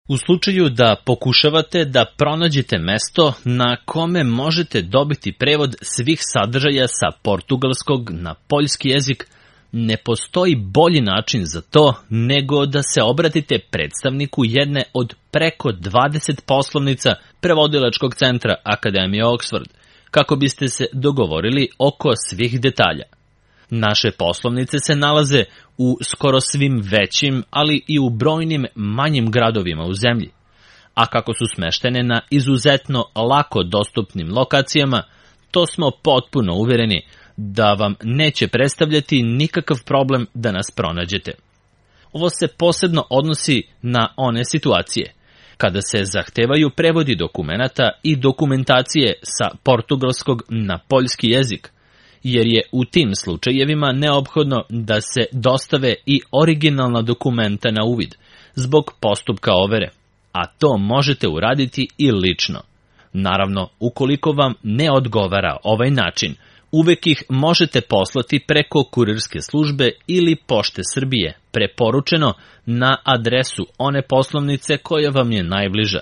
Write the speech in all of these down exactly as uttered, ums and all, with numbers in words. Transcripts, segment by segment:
U slučaju da pokušavate da pronađete mesto na kome možete dobiti prevod svih sadržaja sa portugalskog na poljski jezik, ne postoji bolji način za to nego da se obratite predstavniku jedne od preko dvadeset poslovnica prevodilačkog centra Akademije Oxford, kako biste se dogovorili oko svih detalja. Naše poslovnice se nalaze u skoro svim većim, ali i u brojnim manjim gradovima u zemlji. A kako su smeštene na izuzetno lako dostupnim lokacijama, to smo potpuno uvereni da vam neće predstavljati nikakav problem da nas pronađete. Ovo se posebno odnosi na one situacije kada se zahtevaju prevodi dokumenata i dokumentacije sa portugalskog na poljski jezik, jer je u tim slučajevima neophodno da se dostave i originalna dokumenta na uvid zbog postupka overe, a to možete uraditi i lično. Naravno, ukoliko vam ne odgovara ovaj način, uvek ih možete poslati preko kurirske službe ili Pošte Srbije, preporučeno na adresu one poslovnice koja vam je najbliža.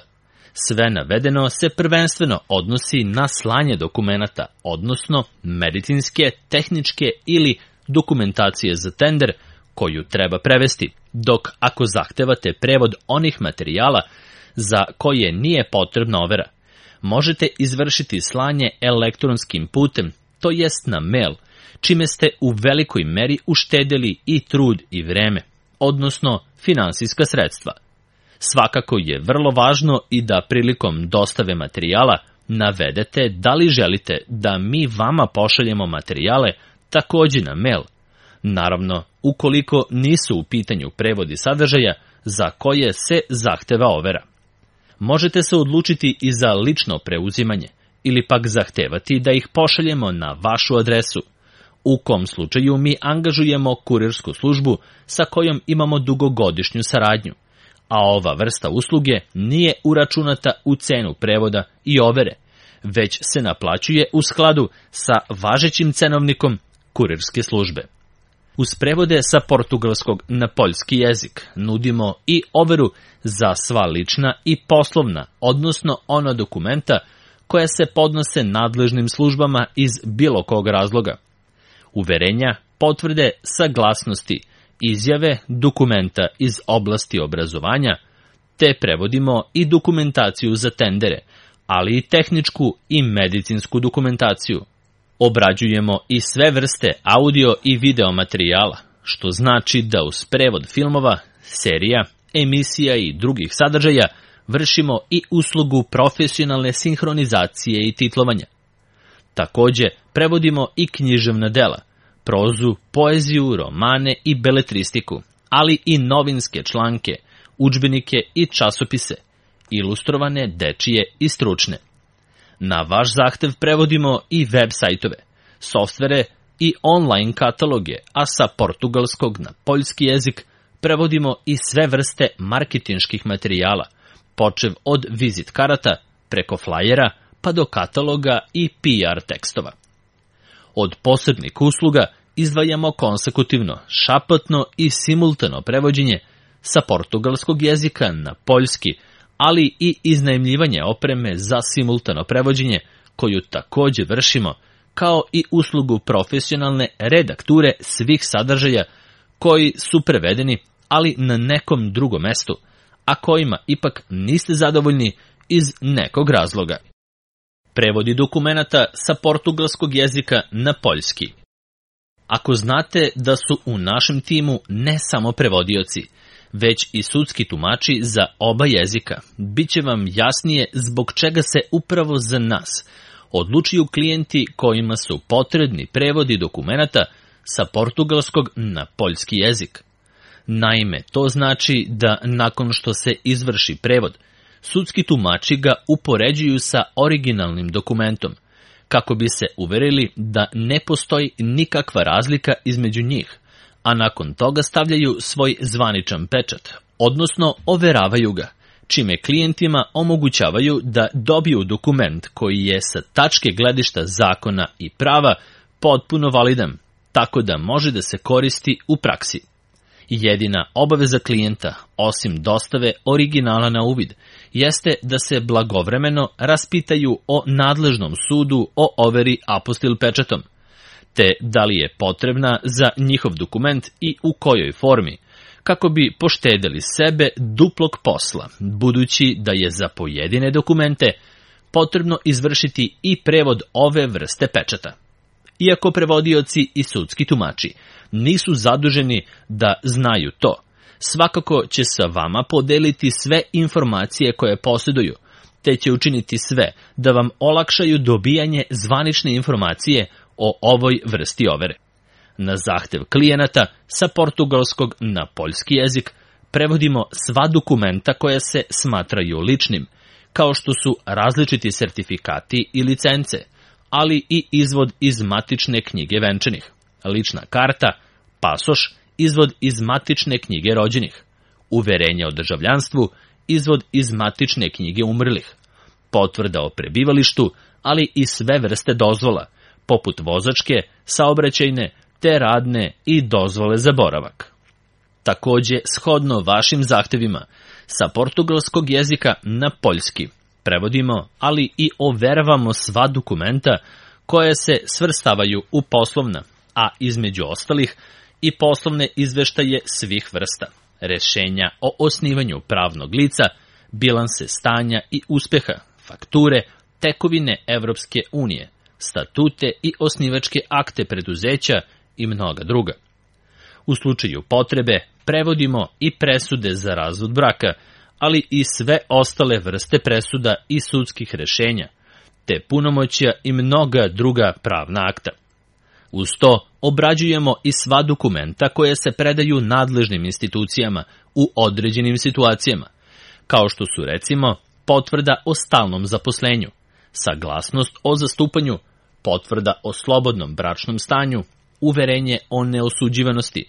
Sve navedeno se prvenstveno odnosi na slanje dokumenata, odnosno medicinske, tehničke ili dokumentacije za tender koju treba prevesti, dok ako zahtevate prevod onih materijala za koje nije potrebna overa, možete izvršiti slanje elektronskim putem, to jest na mail, čime ste u velikoj meri uštedeli i trud i vreme, odnosno finansijska sredstva. Svakako je vrlo važno i da prilikom dostave materijala navedete da li želite da mi vama pošaljemo materijale takođe na mail. Naravno, ukoliko nisu u pitanju prevodi sadržaja za koje se zahteva overa. Možete se odlučiti i za lično preuzimanje ili pak zahtevati da ih pošaljemo na vašu adresu, u kom slučaju mi angažujemo kurirsku službu sa kojom imamo dugogodišnju saradnju, a ova vrsta usluge nije uračunata u cenu prevoda i overe, već se naplaćuje u skladu sa važećim cenovnikom kurirske službe. Uz prevode sa portugalskog na poljski jezik nudimo i overu za sva lična i poslovna, odnosno ona dokumenta koja se podnose nadležnim službama iz bilo kog razloga. Uverenja, potvrde, saglasnosti, izjave, dokumenta iz oblasti obrazovanja, te prevodimo i dokumentaciju za tendere, ali i tehničku i medicinsku dokumentaciju. Obrađujemo i sve vrste audio i video materijala, što znači da uz prevod filmova, serija, emisija i drugih sadržaja vršimo i uslugu profesionalne sinhronizacije i titlovanja. Takođe, prevodimo i književna dela, prozu, poeziju, romane i beletristiku, ali i novinske članke, udžbenike i časopise, ilustrovane, dečije i stručne. Na vaš zahtev prevodimo i web sajtove, softvere i online kataloge, a sa portugalskog na poljski jezik prevodimo i sve vrste marketinških materijala, počev od vizit karata, preko flajera, pa do kataloga i P R tekstova. Od posebnih usluga izdvajamo konsekutivno, šapatno i simultano prevođenje sa portugalskog jezika na poljski, ali i iznajmljivanje opreme za simultano prevođenje, koju takođe vršimo, kao i uslugu profesionalne redakture svih sadržaja koji su prevedeni, ali na nekom drugom mestu, a kojima ipak niste zadovoljni iz nekog razloga. Prevodi dokumenata sa portugalskog jezika na poljski. Ako znate da su u našem timu ne samo prevodioci, već i sudski tumači za oba jezika, bit će vam jasnije zbog čega se upravo za nas odlučuju klijenti kojima su potrebni prevodi dokumenata sa portugalskog na poljski jezik. Naime, to znači da nakon što se izvrši prevod, sudski tumači ga upoređuju sa originalnim dokumentom, kako bi se uverili da ne postoji nikakva razlika između njih, a nakon toga stavljaju svoj zvaničan pečat, odnosno overavaju ga, čime klijentima omogućavaju da dobiju dokument koji je sa tačke gledišta zakona i prava potpuno validan, tako da može da se koristi u praksi. Jedina obaveza klijenta, osim dostave originala na uvid, jeste da se blagovremeno raspitaju o nadležnom sudu o overi apostil pečatom, te da li je potrebna za njihov dokument i u kojoj formi, kako bi poštedeli sebe duplog posla, budući da je za pojedine dokumente potrebno izvršiti i prevod ove vrste pečata. Iako prevodioci i sudski tumači nisu zaduženi da znaju to, svakako će sa vama podeliti sve informacije koje posjeduju, te će učiniti sve da vam olakšaju dobijanje zvanične informacije o ovoj vrsti overe. Na zahtev klijenata sa portugalskog na poljski jezik prevodimo sva dokumenta koja se smatraju ličnim, kao što su različiti sertifikati i licence, ali i izvod iz matične knjige venčanih, lična karta, pasoš, izvod iz matične knjige rođenih, uverenje o državljanstvu, izvod iz matične knjige umrlih, potvrda o prebivalištu, ali i sve vrste dozvola, poput vozačke, saobraćajne, te radne i dozvole za boravak. Takođe, shodno vašim zahtevima, sa portugalskog jezika na poljski prevodimo, ali i overavamo sva dokumenta koje se svrstavaju u poslovna, a između ostalih i poslovne izveštaje svih vrsta, rešenja o osnivanju pravnog lica, bilanse stanja i uspeha, fakture, tekovine Evropske unije, statute i osnivačke akte preduzeća i mnoga druga. U slučaju potrebe prevodimo i presude za razvod braka, ali i sve ostale vrste presuda i sudskih rešenja, te punomoćja i mnoga druga pravna akta. Uz to obrađujemo i sva dokumenta koje se predaju nadležnim institucijama u određenim situacijama, kao što su recimo potvrda o stalnom zaposlenju, saglasnost o zastupanju, potvrda o slobodnom bračnom stanju, uverenje o neosuđivanosti,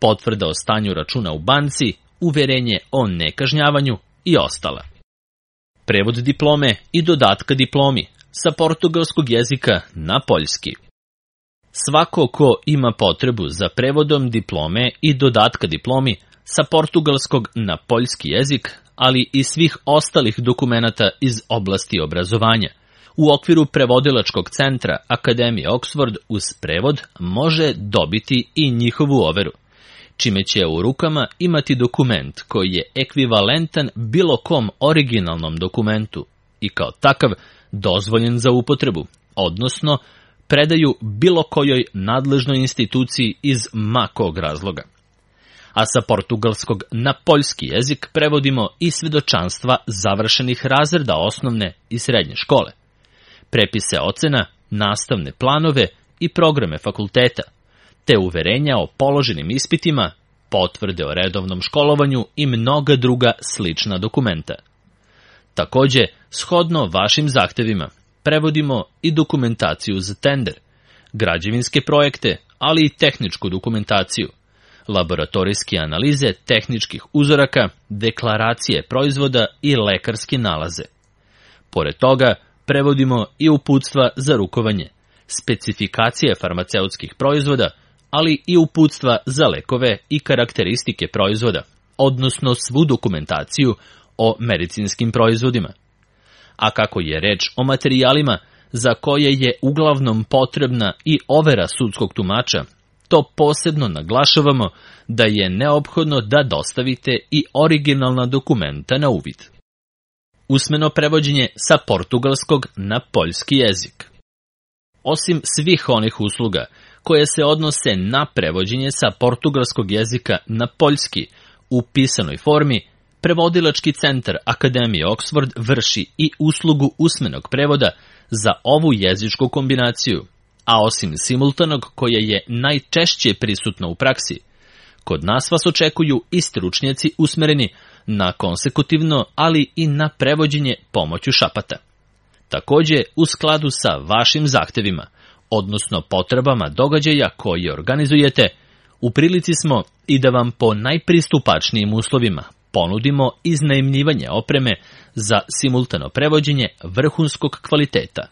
potvrda o stanju računa u banci, uverenje o nekažnjavanju i ostala. Prevod diplome i dodatka diplomi sa portugalskog jezika na poljski. Svako ko ima potrebu za prevodom diplome i dodatka diplomi sa portugalskog na poljski jezik, ali i svih ostalih dokumenata iz oblasti obrazovanja, u okviru prevodilačkog centra Akademije Oxford uz prevod može dobiti i njihovu overu, čime će u rukama imati dokument koji je ekvivalentan bilo kom originalnom dokumentu i kao takav dozvoljen za upotrebu, odnosno predaju bilo kojoj nadležnoj instituciji iz ma kog razloga. A sa portugalskog na poljski jezik prevodimo i svedočanstva završenih razreda osnovne i srednje škole, prepise ocena, nastavne planove i programe fakulteta, te uverenja o položenim ispitima, potvrde o redovnom školovanju i mnoga druga slična dokumenta. Takođe, shodno vašim zahtevima, prevodimo i dokumentaciju za tender, građevinske projekte, ali i tehničku dokumentaciju, laboratorijske analize tehničkih uzoraka, deklaracije proizvoda i lekarske nalaze. Pored toga, prevodimo i uputstva za rukovanje, specifikacije farmaceutskih proizvoda, ali i uputstva za lekove i karakteristike proizvoda, odnosno svu dokumentaciju o medicinskim proizvodima. A kako je reč o materijalima za koje je uglavnom potrebna i overa sudskog tumača, to posebno naglašavamo da je neophodno da dostavite i originalna dokumenta na uvid. Usmeno prevođenje sa portugalskog na poljski jezik. Osim svih onih usluga koje se odnose na prevođenje sa portugalskog jezika na poljski u pisanoj formi, prevodilački centar Akademije Oxford vrši i uslugu usmenog prevoda za ovu jezičku kombinaciju, a osim simultanog koje je najčešće prisutno u praksi, kod nas vas očekuju i stručnjaci usmereni na konsekutivno, ali i na prevođenje pomoću šapata. Takođe, u skladu sa vašim zahtevima, odnosno potrebama događaja koje organizujete, u prilici smo i da vam po najpristupačnijim uslovima ponudimo iznajmljivanje opreme za simultano prevođenje vrhunskog kvaliteta.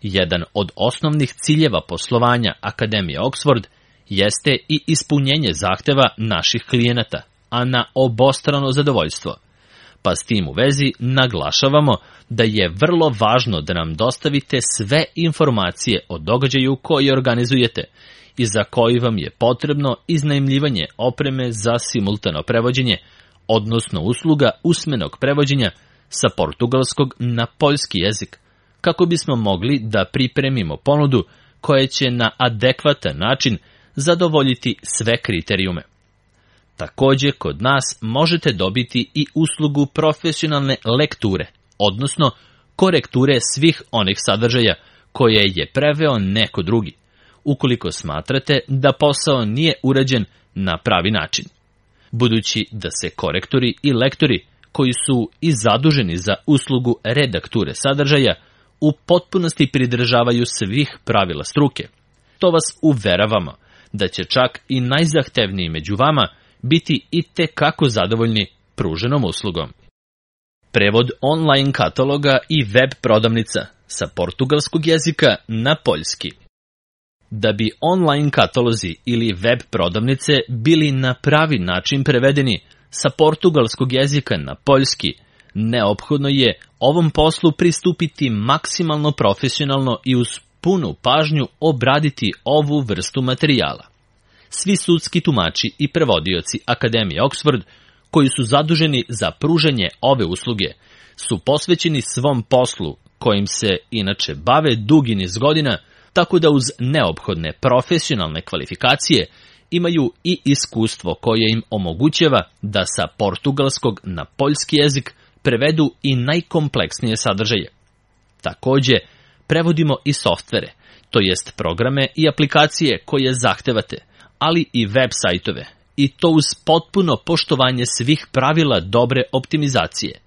Jedan od osnovnih ciljeva poslovanja Akademije Oxford jeste i ispunjenje zahteva naših klijenata, a na obostrano zadovoljstvo. Pa s tim u vezi naglašavamo da je vrlo važno da nam dostavite sve informacije o događaju koji organizujete i za koji vam je potrebno iznajmljivanje opreme za simultano prevođenje, odnosno usluga usmenog prevođenja sa portugalskog na poljski jezik, kako bismo mogli da pripremimo ponudu koja će na adekvatan način zadovoljiti sve kriterijume. Takođe, kod nas možete dobiti i uslugu profesionalne lekture, odnosno korekture svih onih sadržaja koje je preveo neko drugi, ukoliko smatrate da posao nije urađen na pravi način. Budući da se korektori i lektori koji su i zaduženi za uslugu redakture sadržaja u potpunosti pridržavaju svih pravila struke, to vas uveravamo da će čak i najzahtevniji među vama biti i te kako zadovoljni pruženom uslugom. Prevod online kataloga i web prodavnica sa portugalskog jezika na poljski. Da bi online katalozi ili web prodavnice bili na pravi način prevedeni sa portugalskog jezika na poljski, neophodno je ovom poslu pristupiti maksimalno profesionalno i uz punu pažnju obraditi ovu vrstu materijala. Svi sudski tumači i prevodioci Akademije Oxford, koji su zaduženi za pružanje ove usluge, su posvećeni svom poslu, kojim se inače bave dugi niz godina, tako da uz neophodne profesionalne kvalifikacije imaju i iskustvo koje im omogućava da sa portugalskog na poljski jezik prevedu i najkompleksnije sadržaje. Takođe, prevodimo i softvere, to jest programe i aplikacije koje zahtevate, ali i web sajtove, i to uz potpuno poštovanje svih pravila dobre optimizacije.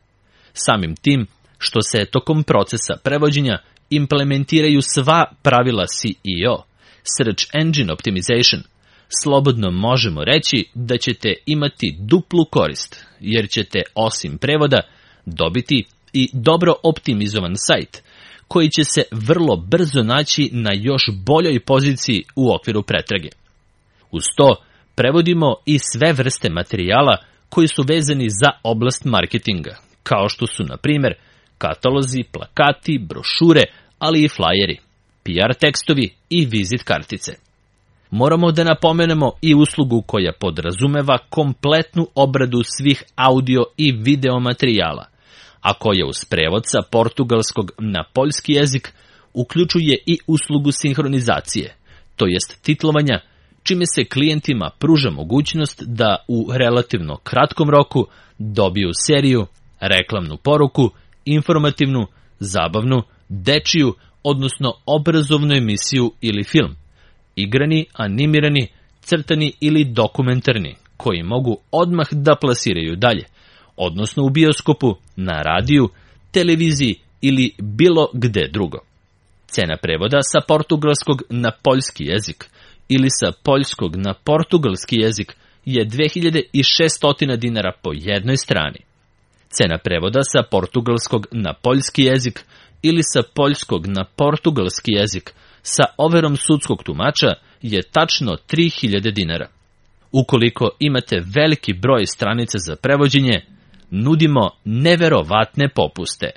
Samim tim, što se tokom procesa prevođenja implementiraju sva pravila C E O, Search Engine Optimization, slobodno možemo reći da ćete imati duplu korist, jer ćete osim prevoda dobiti i dobro optimizovan sajt, koji će se vrlo brzo naći na još boljoj poziciji u okviru pretrage. Uz to, prevodimo i sve vrste materijala koji su vezani za oblast marketinga, kao što su, na primjer, katalozi, plakati, brošure, ali i flajeri, P R tekstovi i vizit kartice. Moramo da napomenemo i uslugu koja podrazumeva kompletnu obradu svih audio i video materijala, a koja uz prevod sa portugalskog na poljski jezik uključuje i uslugu sinhronizacije, to jest titlovanja, čime se klijentima pruža mogućnost da u relativno kratkom roku dobiju seriju, reklamnu poruku, informativnu, zabavnu, dečiju, odnosno obrazovnu emisiju ili film, igrani, animirani, crtani ili dokumentarni, koji mogu odmah da plasiraju dalje, odnosno u bioskopu, na radiju, televiziji ili bilo gde drugo. Cena prevoda sa portugalskog na poljski jezik ili sa poljskog na portugalski jezik je dve hiljade šesto dinara po jednoj strani. Cena prevoda sa portugalskog na poljski jezik ili sa poljskog na portugalski jezik sa overom sudskog tumača je tačno tri hiljade dinara. Ukoliko imate veliki broj stranica za prevođenje, nudimo neverovatne popuste.